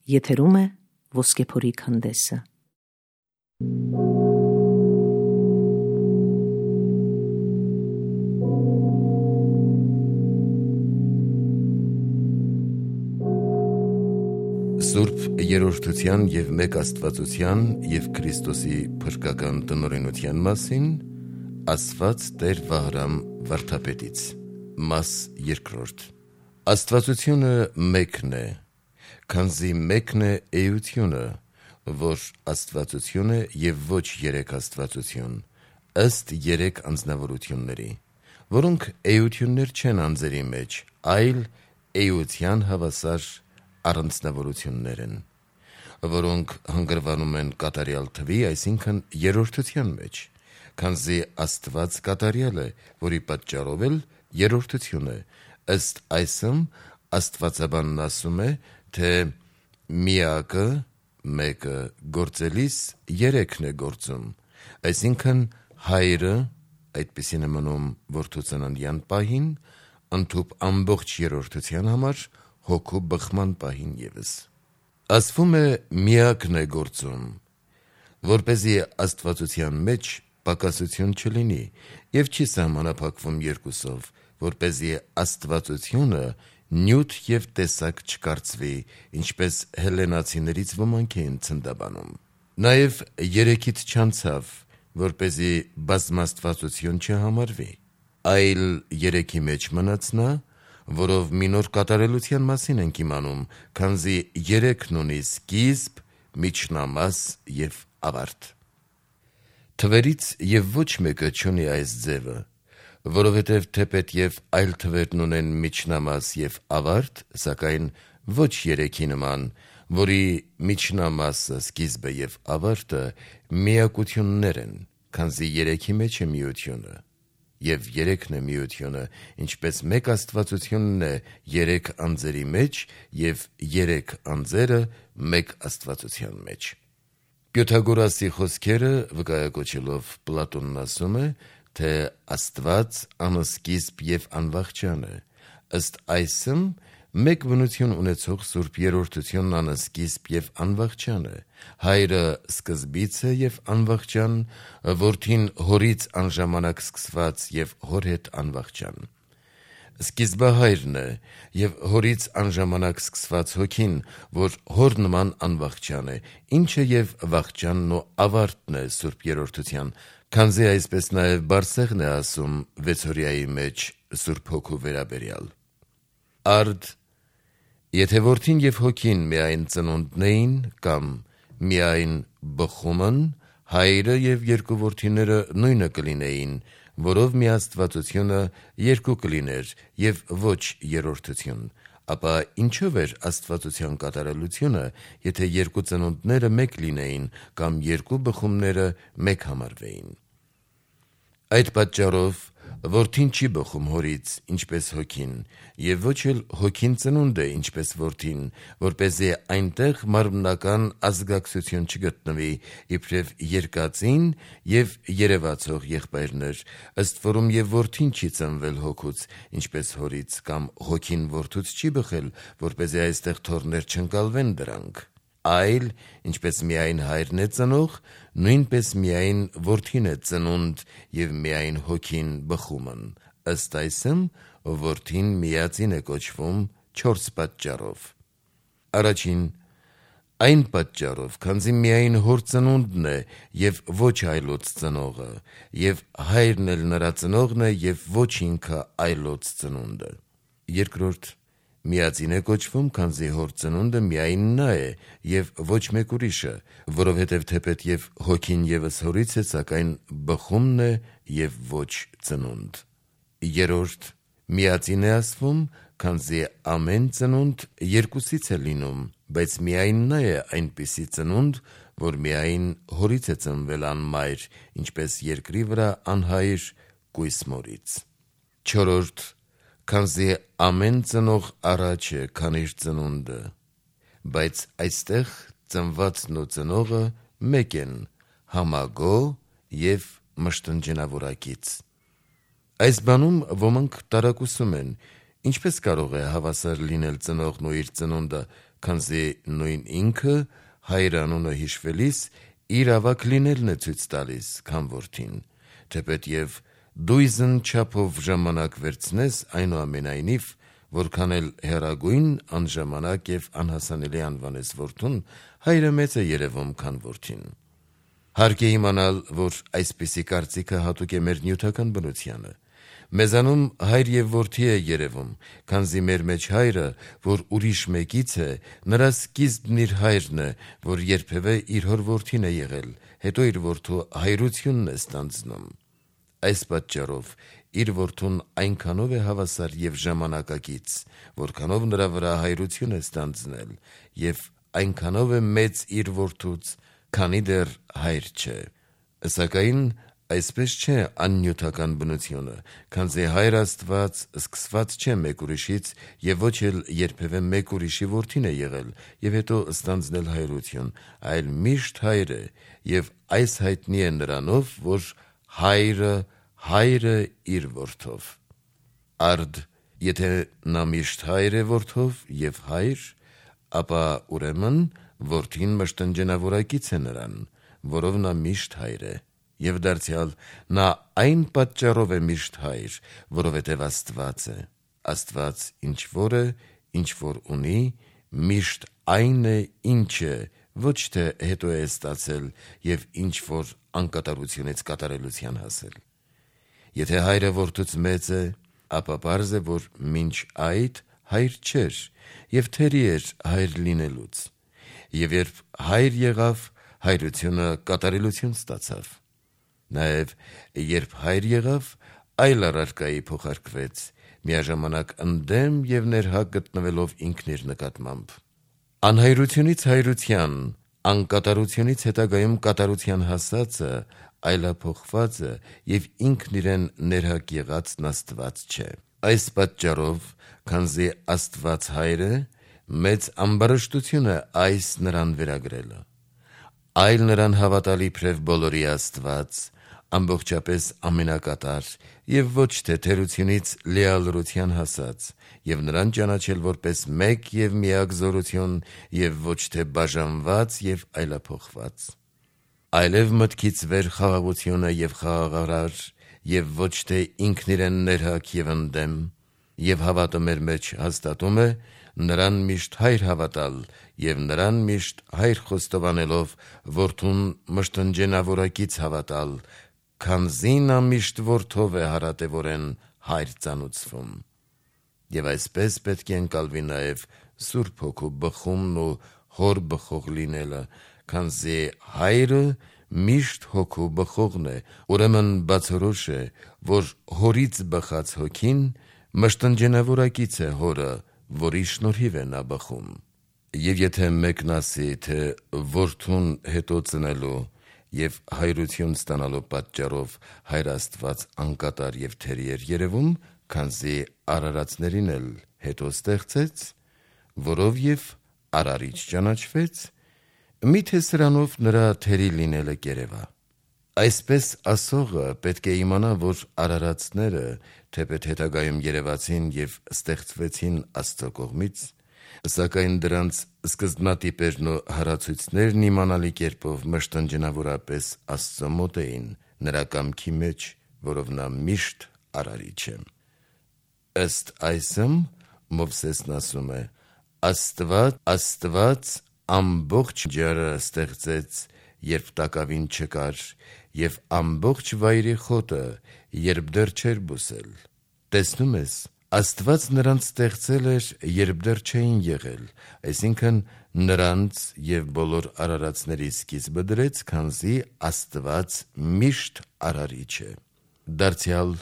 Եթերում է Ոսկեփորի քանդեսը։ Սուրբ երրորդության և մեկ Աստվածության և Քրիստոսի փրկական տնօրինության մասին ասված Տեր Վահրամ վարդապետից։ Մաս երկրորդ։ Աստվածությունը մեկն է, քանզի մեկն է էությունը, որ Աստվածություն է և ոչ երեք Աստվածություն, ըստ երեք անձնավորությունների, որոնք էություններ չեն անձերի մեջ, այլ էության հավասար առանձնավորություններ են, որոնք հանգրվանում են կատարյալ թվի, այսինքն երրորդության մեջ, քանզի Աստված կատարյալ է, որի պատճառով էլ երրորդություն է, ըստ այսմ աստվածաբանն ասում է, թե միակը, մեկը գործելիս երեքն է գործում, այսինքն հայրը, այդպիսին է մնում որդու ծննդյան պահին, ընդհուպ ամբողջ երրորդության համար հոգու բխման պահին ևս։ Ասվում է միակն է գործում, որպեսզի աստվածության մեջ պակասություն չլինի և չի սահմանափակվում երկուսով, որպեսզի աստվածությունը նյութ և տեսակ չկարծվի, ինչպես հելլենացիներից ոմանք էին ցնդաբանում։ Նաև երեքից չանցավ, որպեսզի բազմաստվածություն չհամարվի, այլ երեքի մեջ մնաց նա, որով մի նոր կատարելության մասին ենք իմանում, քանզի երեքն ունի սկիզբ, միջնամաս և ավարտ։ Թվերից և ոչ մեկը չունի այս ձևը, որովհետև թեպետ և այլ թվերն ունեն միջնամաս և ավարտ, սակայն ոչ երեքի նման, որի միջնամասը, սկիզբը և ավարտը միակություններ են, քանզի երեքի մեջ է միությունը, և երեքն է միությունը, ինչպես մեկ Աստվածությունն է երեք անձերի մեջ և երեք անձերը մեկ Աստվածության մեջ։ Պյութագորասի խոսքերը վկայակոչելով Պլատոնն ասում է, թե Աստված անսկիզբ և անվախճան է, ըստ այսմ մեկ բնություն ունեցող Սուրբ Երրորդությունն անսկիզբ և անվախճան է, հայրը սկզբից է և անվախճան, որդին հորից անժամանակ սկսված և հոր հետ անվախճան։ Սկիզբահայրն է և հորից անժամանակ սկսված հոգին, որ հոր նման անվախճան է, ինչը և վախճանն ու ավարտն է Սուրբ Երրորդության, քանզի այսպես նաև Բարսեղն է ասում վեցօրյայի մեջ Սուրբ Հոգու վերաբերյալ։ Արդ, եթե որդին և հոգին միայն ծնունդն էին, կամ միայն բխումն, հայրը և երկու որդիները նույնը կլինեին, որով մի Աստվածությունը երկու կլիներ և ոչ երրորդություն, ապա ինչով էր Աստվածության կատարելությունը, եթե երկու ծնունդները մեկ լինեին, կամ երկու բխումները մեկ համարվեին։ Այդ պատճառով որդին չի բխում հորից, ինչպես հոգին, և ոչ էլ հոգին ծնունդ է, ինչպես որդին, որպեսզի այնտեղ մարմնական ազգակցություն չգտնվի, իբրև երկածին և երևացող եղբայրներ, ըստ որում և որդին չի ծնվել հոգուց, ինչպես հորից, կամ հոգին որդուց չի բխել, որպեսզի այստեղ թոռներ չընկալվեն դրանք, այլ ինչպես միայն հայրն է ծնող, նույնպես միայն որդին է ծնունդ և միայն հոգին բխումն, ըստ այսմ որդին միածին է կոչվում 4 պատճառով։ Առաջին, այն պատճառով, քանզի միայն հոր ծնունդն է և ոչ այլոց ծնողը, և հայրն էլ նրա ծնողն է և ոչ ինքը այլոց ծնունդը։ Երկրորդ, միածին է կոչվում, քանզի հոր ծնունդը միայն նա է և ոչ մեկ ուրիշը, որովհետև թեպետ և հոգին ևս հորից է, սակայն բխումն է և ոչ ծնունդ։ Երրորդ, միածին է ասվում, քանզի ամեն ծնունդ երկուսից է լինում, բայց միայն նա է այնպիսի ծնունդ, որ միայն հորից է ծնվել անմայր, ինչպես երկրի վրա անհայր կույս մորից։ Չորրորդ, քանզի ամեն ծնող առաջ է, քան իր ծնունդը, բայց այստեղ ծնվածն ու ծնողը մեկ են, համագոհ և մշտնջենավորակից։ Այս բանում ոմանք տարակուսում են, ինչպես կարող է հավասար լինել ծնողն ու իր ծնունդը, քանզի նույն ինքը հայրանունը հիշվելիս իր ավակ լինելն է ցույց տալիս, քան որդին, թեպետև դույզն չափով ժամանակ վերցնես, այնուամենայնիվ, որքան էլ հեռագույն, անժամանակ եւ անհասանելի անվանես որդուն, հայրը մեծ է երևում, քան որդին։ Հարկ է իմանալ, որ այսպիսի կարծիքը հատուկ է մեր նյութական բնությանը։ Մեզանում հայր եւ որդի է երևում, քանզի մեր մեջ հայրը, որ ուրիշ մեկից է, նրա սկիզբն իր հայրն է, որ երբևէ իր հոր որդին է եղել, հետո իր որդու հայրությունն է ստանձնում։ Այս պատճառով իր որդուն այնքանով է հավասար եւ ժամանակակից, որքանով նրա վրա հայրություն է ստանձնել, եւ այնքանով է մեծ իր որդուց, քանի դեռ հայր չէ։ Սակայն այսպես չէ աննյութական բնությունը, քանզի հայր Աստված սկսված չէ մեկ ուրիշից եւ ոչ էլ երբևէ մեկ ուրիշի որդին է եղել եւ հետո ստանձնել հայրություն, այլ միշտ հայր է եւ այս հայտնի է նրանով, որ հայրը իր որդով։ Արդ, եթե նա միշտ հայր է որդով եւ հայր, ապա ուրեմն որդին մշտնջենավորակից է նրան, որով նա միշտ հայր է, եւ դարձյալ նա այն պատճառով է միշտ հայր, որովհետեւ Աստված է։ Աստված ինչ որ է, ինչ որ ունի, միշտ այն է, ինչ է, ոչ թե հետո է ստացել եւ ինչ որ անկատարությունից կատարելության հասել։ Եթե հայրը որդուց մեծ է, ապա պարզ է, որ մինչ այդ հայր չէր եւ թերի էր հայր լինելուց։ Եվ երբ հայր եղավ, հայրությունը կատարելություն ստացավ։ Նաեւ երբ հայր եղավ, այլ առարկայի փոխարկվեց, միաժամանակ ընդդեմ եւ ներհակ գտնվելով ինքն իր նկատմամբ։ Անհայրությունից հայրության, անկատարությունից հետագայում կատարության հասածը, այլափոխվածը եւ ինքն իրեն ներհակ եղածն Աստված չէ։ Այս պատճառով, քանզի Աստված հայր է, մեծ ամբարշտություն է այս նրան վերագրելը։ Այլ նրան հավատալ իբրև բոլորի Աստված, ամբողջապես ամենակատար եւ ոչ թե թերությունից լիալրության հասած, եւ նրան ճանաչել որպես մեկ եւ միակ զորություն եւ ոչ թե բաժանված եւ այլափոխված։ Այլև մտքից վեր խաղաղությունը եւ խաղաղարար եւ ոչ թե ինքն իրեն ներհակ եւ ընդդեմ, եւ հավատը մեր մեջ հաստատում է նրան միշտ հայր հավատալ եւ նրան միշտ հայր խոստովանելով որդուն մշտնջենավորակից հավատալ, քանզի նա միշտ որդով է հարատևորեն հայր ծանուցվում։ Եվ այսպես պետք է ընկալվի նաեւ Սուրբ Հոգու բխումն ու հոր բխող լինելը, քանզի հայրը միշտ հոգու բխողն է, ուրեմն բացորոշ է, որ հորից բխած հոգին մշտնջենավորակից է հորը, որի շնորհիվ է նա բխում։ Եվ եթե մեկն ասի, թե որդուն հետո ծնելու եւ հայրություն ստանալու պատճառով հայր Աստված անկատար եւ թերի էր երևում, քանզի արարածներին էլ հետո ստեղծեց, որով եւ արարիչ ճանաչվեց, միթե սրանով նրա թերի լինելը կերևա։ Այսպես ասողը պետք է իմանա, որ արարածները, թեպետ հետագայում երևացին եւ ստեղծվեցին Աստծո կողմից, սակայն դրանց սկզբնատիպերն ու հարացույցներն իմանալի կերպով մշտնջենավորապես Աստծո մոտ էին, նրա կամքի մեջ, որով նա միշտ արարիչ է։ Ըստ այսմ Մովսեսն ասում է. Աստված ամբողջ ջարը ստեղծեց, երբ տակավին չկար, եւ ամբողջ վայրի խոտը, երբ դեռ չէր բուսել։ Տեսնում ես, Աստված նրանց ստեղծել էր, երբ դեռ չէին եղել, այսինքն նրանց եւ բոլոր արարածների սկիզբը դրեց, քանզի Աստված միշտ արարիչ է։ Դարձյալ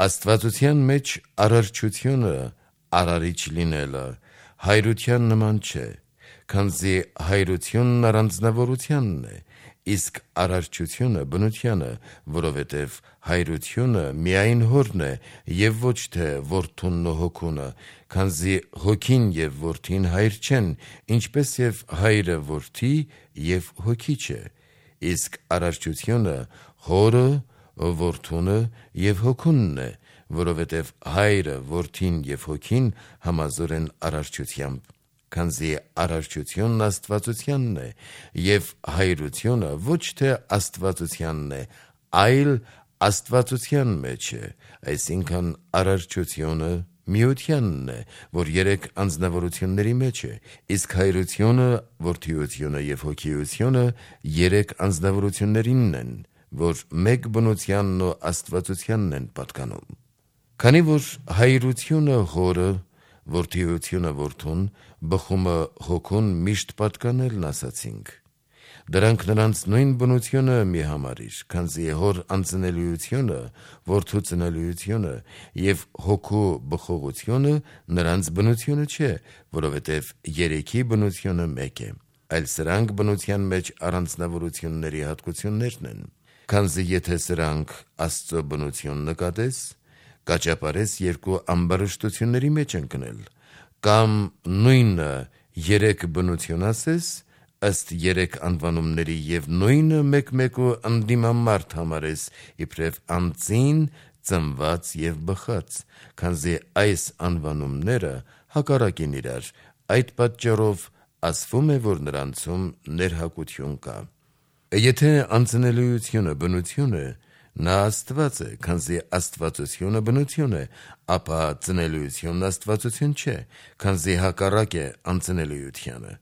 Աստվածության մեջ արարչությունը, արարիչ լինելը, հայրության նման չէ, քանզի հայրությունն առանձնավորությանն է, իսկ արարչությունը բնությանը, որովհետև հայրությունը միայն հորն է եւ ոչ թե որդունն ու հոգունը, քանզի հոգին եւ որդին հայր չեն, ինչպես եւ հայրը որդի եւ հոգի չէ, իսկ արարչությունը հորը, որդունը եւ հոգունն է, որովհետև հայրը, որդին եւ հոգին համազոր են արարչությամբ, քանզի արարչությունն աստվածությանն է, եւ հայրությունը ոչ թե աստվածությանն է, այլ աստվածության մեջ է, այսինքն արարչությունը միությանն է, որ երեք անձնավորությունների մեջ է, իսկ հայրությունը, որդիությունը եւ հոգիությունը երեք անձնավորություններինն են, որ մեկ բնությանն ու աստվածությանն են պատկանում։ Քանի որ հայրությունը հորը, որդիությունը որդուն, բխումը հոգուն միշտ պատկանելն ասացինք, դրանք նրանց նույն բնությունը մի համարիր, քանզի հոր անծնելիությունը, որդու ծնելիությունը եւ հոգու բխողությունը նրանց բնությունը չէ, որովհետեւ երեքի բնությունը մեկ է, այլ սրանք բնության մեջ առանձնավորությունների հատկություններն են, քանզի եթե սրանք Աստծո բնություն նկատես, կաճապարես երկու ամբարշտությունների մեջ ընկնել, կամ նույնը երեք բնություն ասես, ըստ երեք անվանումների եւ նույնը մեկ-մեկու ընդդիմամարդ համարես իբրև անձին, ծնված եւ բխած, քանզի այս անվանումները հակառակ են իրար, այդ պատճառով ասվում է, որ նրանցում ներհակություն կա։ Եթե անծնելիությունը բնություն է, նա Աստված է, քանզի աստվածությունը բնություն է, ապա ծնելիությունն աստվածություն չէ, քանզի հակառակ է անծնելիությանը։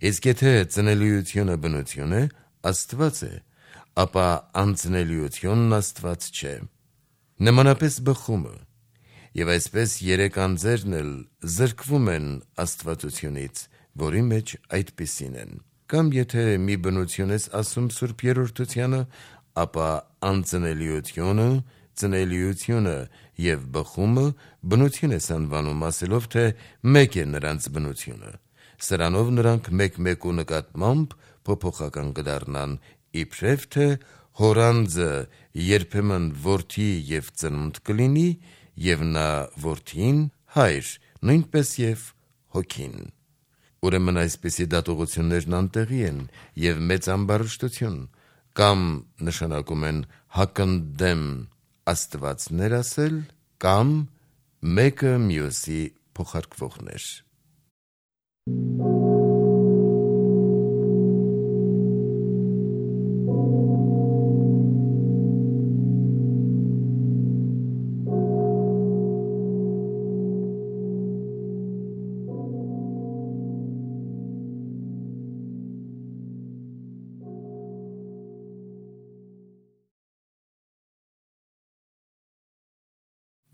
Իսկ եթե ծնելիությունը բնություն է, Աստված է, ապա անծնելիությունն Աստված չէ։ Նմանապես բխումը, եւ այսպես երեք անձերն էլ զրկվում են աստվածությունից, որի մեջ այդպիսին են։ Կամ եթե մի բնություն ես ասում Սուրբ Երրորդությանը, ապա անծնելիությունը, ծնելիությունը եւ բխումը բնություն ես անվանում, ասելով, թե մեկ է նրանց բնությունը։ Սրանով նրանք մեկ-մեկու նկատմամբ փոփոխական կդառնան, իբրև թե հորանձը երբեմն որդի եւ ծնունդ կլինի, եւ նա որդին հայր, նույնպես եւ հոգին։ Ուրեմն այսպիսի դատողություններն անտեղի են եւ մեծ ամբարշտություն, կամ նշանակում են հակընդդեմ աստվածներ ասել, կամ մեկը մյուսի փոխարկվողներ։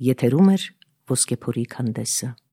Եթերում է Ոսկեփորի քանդեսը։